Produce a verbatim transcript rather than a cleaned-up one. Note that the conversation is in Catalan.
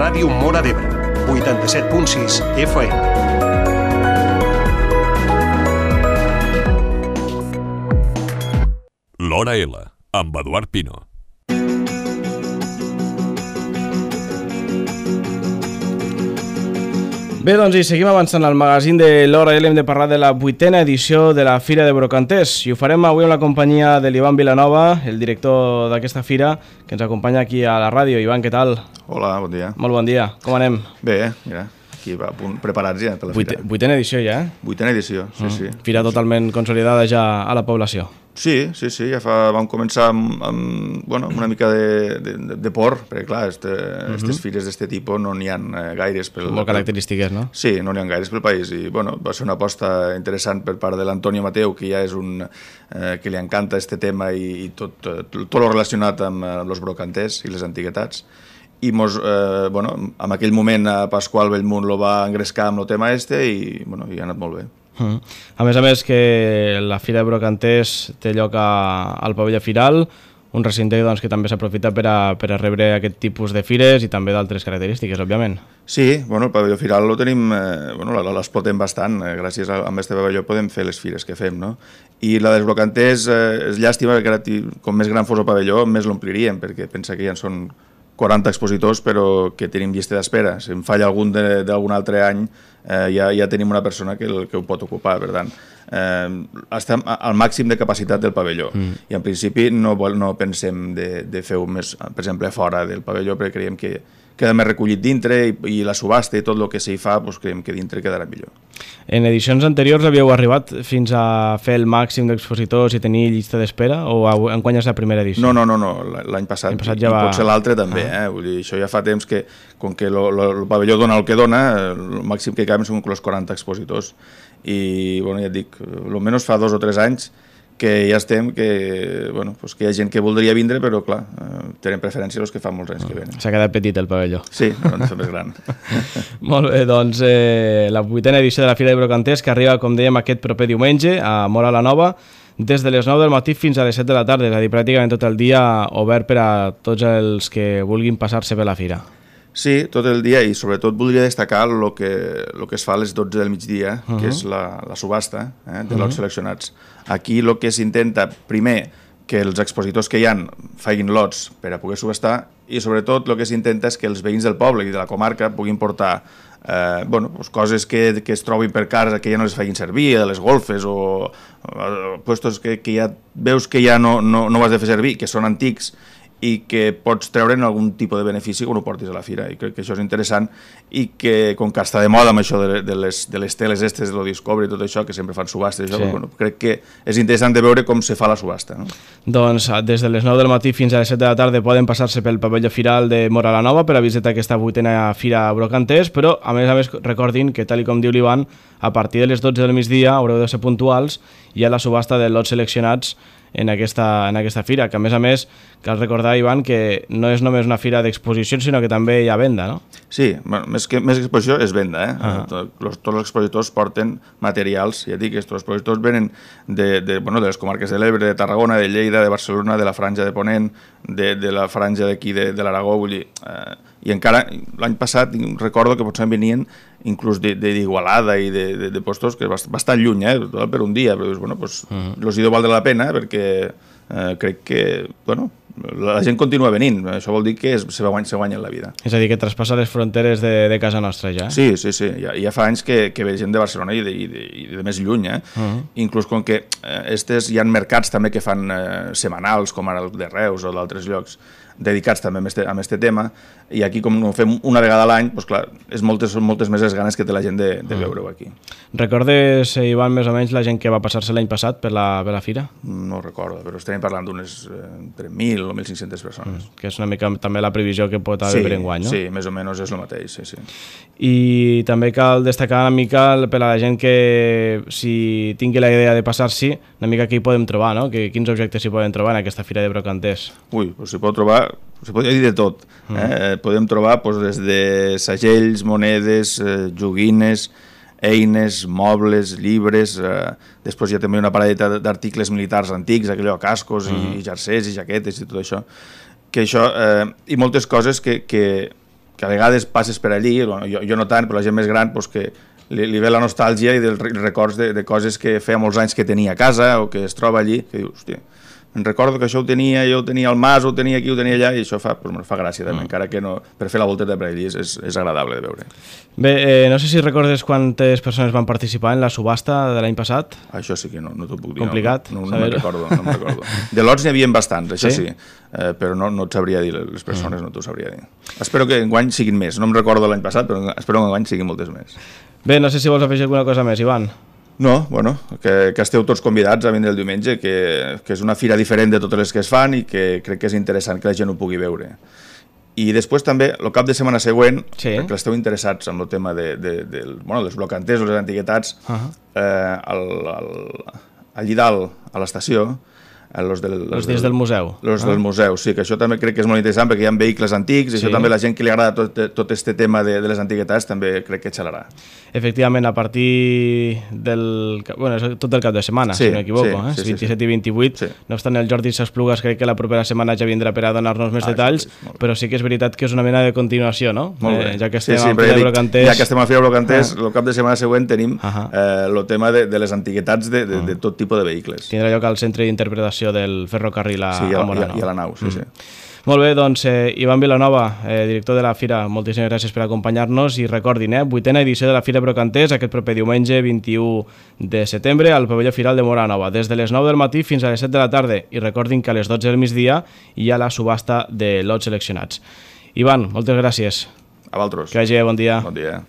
Ràdio Móra d'Ebre, vuitanta-set punt sis F M. L'Hora L, amb Eduard Pino. Bé, doncs i seguim avançant al magazín de l'Hora L. Hem de parlar de la vuitena edició de la Fira de Brocanters i ho farem avui amb la companyia de l'Ivan Vilanova, el director d'aquesta fira, que ens acompanya aquí a la ràdio. Ivan, què tal? Hola, bon dia. Molt bon dia. Com anem? Bé, mira, aquí va, preparats ja per la Vuit, fira. Vuitena edició ja, eh? Vuitena edició, sí, mm. sí. Fira totalment consolidada ja a la població. Sí, sí, sí, ja fa, vam començar amb, amb, bueno, amb una mica de, de, de por, perquè clar, este, uh-huh. aquestes fires d'aquest tipus no n'hi ha gaires. Pel, Molt característiques, no? Sí, no n'hi ha gaires pel país i bueno, va ser una aposta interessant per part de l'Antonio Mateu, que ja és un eh, que li encanta este tema i, i tot, tot, tot lo relacionat amb, amb els brocanters i les antiguitats. I mos, eh, bueno, en aquell moment a Pasqual Bellmunt lo va engrescar amb el tema este i, bueno, i ha anat molt bé. Uh-huh. A més a més que la Fira de Brocanters té lloc a, al pavelló Firal, un recinte doncs, que també s'aprofita per, a, per a rebre aquest tipus de fires i també d'altres característiques, òbviament. Sí, bueno, el pavelló Firal lo tenim, eh, bueno, l'explotem bastant, eh, gràcies a, a aquest pavelló podem fer les fires que fem, no? I la dels brocanters eh, és llàstima que ara, com més gran fos el pavelló, més l'ompliríem, perquè pensa que ja en són quaranta expositors, però que tenim llista d'espera. Si em falla algun d'algun altre any, eh, ja, ja tenim una persona que, el, que ho pot ocupar, per tant. Eh, estem al màxim de capacitat del pavelló mm. i en principi no, vol, no pensem de, de fer-ho més, per exemple, fora del pavelló, perquè creiem que queda més recollit dintre i, i la subhasta i tot el que s'hi fa, doncs creiem que dintre quedarà millor. En edicions anteriors havíeu arribat fins a fer el màxim d'expositors i tenir llista d'espera o enguany és la primera edició? No, no, no, no. l'any passat, l'any passat ja va... i potser l'altre també, ah. eh? Vull dir, això ja fa temps que, com que el pavelló dona el que dona, el màxim que caben són els quaranta expositors. I, bueno, ja et dic, almenys fa dos o tres anys que ja estem, que, bueno, pues que hi ha gent que voldria vindre, però clar, eh, tenen preferència els que fa molts anys que venen. S'ha quedat petit el pavelló. Sí, no, no és més gran. Molt bé, doncs eh, la vuitena edició de la Fira de Brocanters, que arriba, com dèiem, aquest proper diumenge a Móra la Nova, des de les nou del matí fins a les set de la tarda, és a dir, pràcticament tot el dia obert per a tots els que vulguin passar-se per la fira. Sí, tot el dia, i sobretot voldria destacar el que, lo que es fa a les dotze del migdia, uh-huh. que és la, la subhasta eh, de lots uh-huh. seleccionats. Aquí el que s'intenta, primer, que els expositors que hi ha facin lots per a poder subhastar, i sobretot el que s'intenta és que els veïns del poble i de la comarca puguin portar eh, bueno, pues coses que, que es trobin per casa que ja no les facin servir, de les golfes o, o puestos que, que ja veus que ja no, no, no ho has de fer servir, que són antics i que pots treure'n algun tipus de benefici quan ho portis a la fira, i crec que això és interessant i que, com que està de moda amb això de, de, les, de les teles estes, de lo Discovery i tot això, que sempre fan subhastes, sí. bueno, crec que és interessant de veure com se fa la subhasta. No? Doncs des de les nou del matí fins a les set de la tarda poden passar-se pel pavelló Firal de Móra la Nova per a visitar aquesta vuitena Fira Brocanters, però a més a més recordin que, tal com diu l'Ivan, a partir de les dotze del migdia haureu de ser puntuals i hi ha la subhasta de lots seleccionats en aquesta, en aquesta fira, que a més a més cal recordar, Ivan, que no és només una fira d'exposicions, sinó que també hi ha venda, no? Sí, bueno, més que més exposició és venda, eh? Uh-huh. Tot, los, tots els expositors porten materials, ja dic, aquests expositors venen de, de, bueno, de les comarques de l'Ebre, de Tarragona, de Lleida, de Barcelona, de la franja de Ponent, de, de la franja d'aquí de, de l'Aragó, vull dir... Eh, i encara l'any passat recordo que potser venien inclús d'Igualada i de, de, de postos que bastant lluny, eh, per un dia, però bueno, pues, uh-huh. los hi deu valdre la pena perquè eh, crec que, bueno, la gent continua venint, això vol dir que es, se, guany, se guanya la vida. És a dir, que traspassa les fronteres de, de casa nostra ja. Sí, sí, sí, ja, ja fa anys que, que ve gent de Barcelona i de, i de, i de més lluny, eh? Uh-huh. Inclús com que eh, estes, hi ha mercats també que fan eh, setmanals, com ara el de Reus o d'altres llocs, dedicats també a aquest tema, i aquí com ho fem una vegada a l'any, doncs clar, és moltes, són moltes més les ganes que té la gent de, de veure-ho aquí. Recordes, Ivan, més o menys la gent que va passar-se l'any passat per la, per la fira? No ho recordo, però estem parlant d'unes eh, entre mil o mil cinc-centes persones. Mm, que és una mica també la previsió que pot haver sí, per enguany, no? Sí, més o menys és el mateix, sí, sí. I també cal destacar una mica per a la gent que si tingui la idea de passar-s'hi, una mica què hi podem trobar, no? Que, quins objectes s'hi poden trobar en aquesta Fira de Brocanters? Ui, doncs s'hi pot trobar, s'hi podria dir de tot. Mm. Eh? Podem trobar doncs, des de segells, monedes, eh, joguines, eines, mobles, llibres, eh, després hi ha també una paradeta d'articles militars antics, aquello, cascos mm. i jersers i jaquetes i tot això, que això eh, i moltes coses que, que que a vegades passes per allí, bueno, jo, jo no tant, però la gent més gran, pues, que li, li ve la nostàlgia i dels records de, de coses que feia molts anys que tenia a casa o que es troba allí, que dius, hòstia, em recordo que això ho tenia, jo ho tenia al mas, ho tenia aquí, ho tenia allà, i això fa, pues, fa gràcia també, mm. encara que no, per fer la volteta per allí és, és, és agradable de veure. Bé, eh, no sé si recordes quantes persones van participar en la subhasta de l'any passat. Això sí que no, no t'ho puc dir. Complicat. No, no, no, no me'n recordo, no me'n recordo. De lots n'hi havia bastants, això sí, sí eh, però no, no et sabria dir, les persones mm. no t'ho sabria dir. Espero que enguany siguin més, no em recordo l'any passat, però espero que enguany siguin moltes més. Bé, no sé si vols afegir alguna cosa més, Ivan. No, bueno, que, que esteu tots convidats a vindre el diumenge, que, que és una fira diferent de totes les que es fan i que crec que és interessant que la gent ho pugui veure. I després també, el cap de setmana següent, sí. perquè esteu interessats en el tema de, de, de, bueno, dels brocanters o les antiguitats, uh -huh. eh, al, al, allí dalt, a l'estació, los del, los els dies del museu. Los ah. del museu, sí, que això també crec que és molt interessant perquè hi ha vehicles antics i sí. això també la gent que li agrada tot, tot este tema de, de les antiguitats també crec que xalarà. Efectivament, a partir del... Bueno, és tot el cap de setmana, sí, si no m'equivoco, sí, eh? sí, vint-i-set sí, sí. i vint-i-vuit. Sí. No obstant, el Jordi S'Esplugues crec que la propera setmana ja vindrà per a donar-nos més ah, detalls, sí, sí, però sí que és veritat que és una mena de continuació, no? Molt bé. Eh, ja que estem sí, sí, a Fira Brocanters... Ja que estem a Fira Brocanters, ah. el cap de setmana següent tenim el uh -huh. eh, tema de, de les antiguitats de, de, de tot tipus de vehicles. Tindrà lloc al centre d'interpretació del ferrocarril a, sí, a, a, Móra la i a la nau, sí, mm. sí. Molt bé, doncs, eh, Ivan Vilanova, eh, director de la Fira, moltíssimes gràcies per acompanyar-nos i recordin, eh, vuitena edició de la Fira Brocanters aquest proper diumenge vint-i-u de setembre al pavelló Firal de Móra la Nova, des de les nou del matí fins a les set de la tarda, i recordin que a les dotze del migdia hi ha la subhasta de lots seleccionats. Ivan, moltes gràcies. A vosaltres. Que hagi bon dia. Bon dia.